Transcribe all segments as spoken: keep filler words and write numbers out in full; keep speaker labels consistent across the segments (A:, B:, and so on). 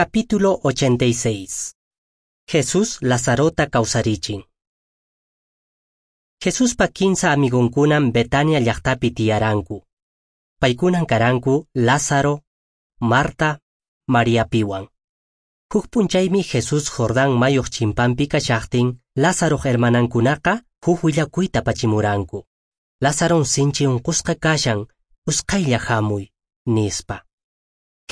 A: Capítulo ochenta y seis. Jesús Lazarota kawsarichin. Jesuspa kinsa amigonkunan Betania llaqtapi tiyaranku. Paykunan karanku Lázaro, Marta, Mariapiwan. Huk p'unchaymi Jesús Jordán mayuq chimpanpi kashaqtin, Lázaroq hermanankunaqa huk willakuyta apachimuranku. Lázaron sinchi unqusqa kashan, usqhaylla hamuy, nispa.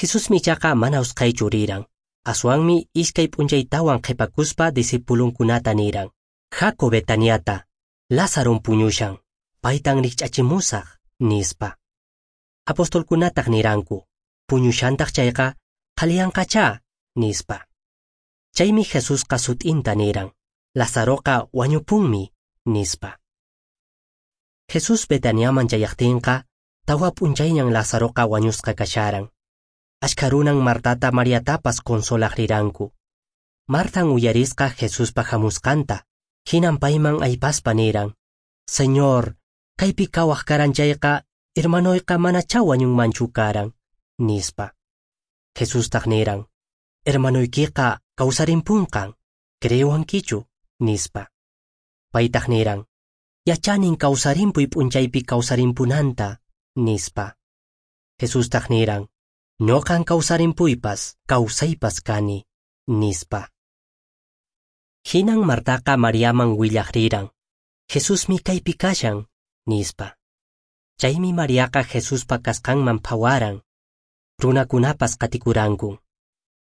A: Jesusmi ichaqa mana usqhaychu riran. Aswanmi iskay p'unchaytawan qhipakuspa discipulunkunata niran: Haku Betaniata, Lázaron puñushan, paytan rikch'achimusaq, nispa. Apostolkunataq niranku: puñushantaq chayqa, qhaliyanqachá, nispa. Chaymi Jesusqa sut'inta niran: Lázaroqa wañupunmi, nispa. Jesús Betaniaman chayaqtinqa, tawa p'unchayñan Lázaroqa wañusqa kasharan. Ashkha runan Martata Mariatapas consolaq riranku. Martan uyarisqa Jesuspa hamusqanta, hinan payman aypaspa niran: Señor, kaypi kawaq karan chayqa, hermanoyqa manachá wañunmanchu karan, nispa. Jesustaq niran: Hermanoykiqa kawsarimpunqan, creewankichu, nispa. Paytaq niran: Yachanin kawsarimpuy p'unchaypi kawsarimpunanta, nispa. Jesustaq niran: Ñuqan kawsarimpuypas, kawsaypas kani, nispa. Hinan Martaqa Mariaman willaq riran: Jesusmi kaypi kashan, nispa. Chaymi Mariaqa Jesuspa kasqanman phawaran. Runakunapas qatikuranku.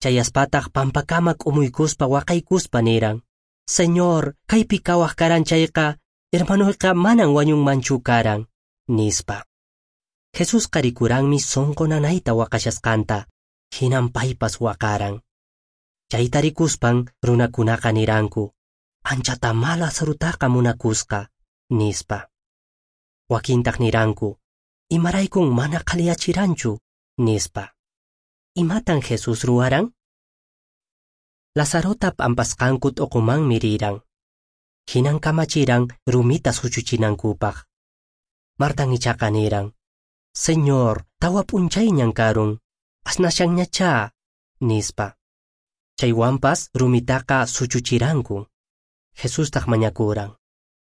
A: Chayaspataq pampakama k'umuykuspa waqaykuspa niran: Señor, kaypi kawaq karan chayqa, hermanoyqa manan wañunmanchu karan, nispa. Jesusqa rikuranmi sonqo nanayta waqashasqanta, hinan paypas waqaran. Chayta rikuspan runakunaqa niranku: anchatamá Lazarutaqa munakusqa, nispa. Wakintaq niranku: imaraykun mana qhaliyachiranchu, nispa. Imatan Jesús ruwaran? Lazarota p'ampasqanku t'uqumanmi riran. Hinan kamachiran rumita suchuchinankupaq. Martan ichaqa niran: Señor, tawa p'unchayñan karun, asnashanñachá, nispa. Chaywanpas rumitaqa suchuchiranku. Jesustaq mañakuran: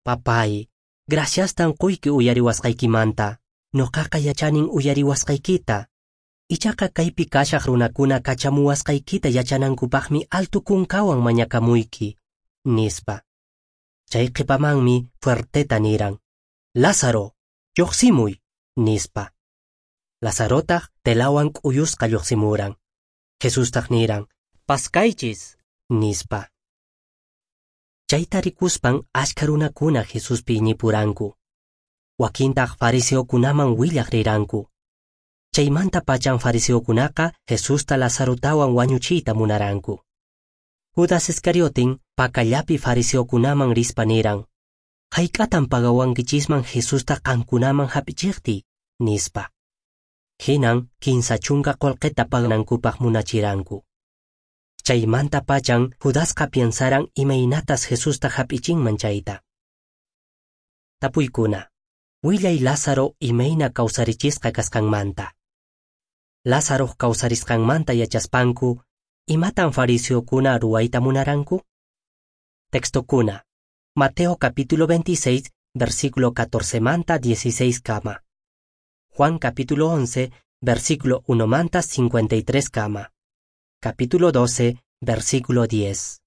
A: Papay, graciastan quyki uyariwasqaykimanta, ñuqaqa yachanin uyariwasqaykita. Ichaqa kaypi kashaq runakuna kachamuwasqaykita yachanankupaqmi alto kunkawan mañakamuyki, nispa. Chay qhipamanmi fuerteta niran: Lázaro, lluqsimuy, nispa. Lazarotaq telawan k'uyusqa lluqsimuran. Jesustaq niran: Paskaychis, nispa. Chayta rikuspan ashkha runakuna Jesuspi iñipuranku. Wakintaq fariseokunaman willaq riranku. Chaymanta pachan fariseokunaqa Jesusta Lazarotawan wañuchiyta munaranku. Judas Iscariotin pakallapi fariseokunaman rispa niran: Hayk'atan pagawankichisman Jesusta qankunaman hap'ichiqtiy, nispa. Hinan kinsa chunka qullqita paganankupaq munachiranku. Chaymanta pachan Judasqa piensaran imaynatas Jesusta hap'ichinman chayta. Tapuykuna: Willay Lázaro imayna kawsarichisqa kasqanmanta. Lázaroq kawsarisqanmanta yachaspanku, imatan fariseokuna ruwayta munaranku? Textokuna: Mateo capítulo veintiséis, versículo catorce manta dieciséis kama. Juan capítulo once, versículo uno manta cincuenta y tres kama. Capítulo doce, versículo diez.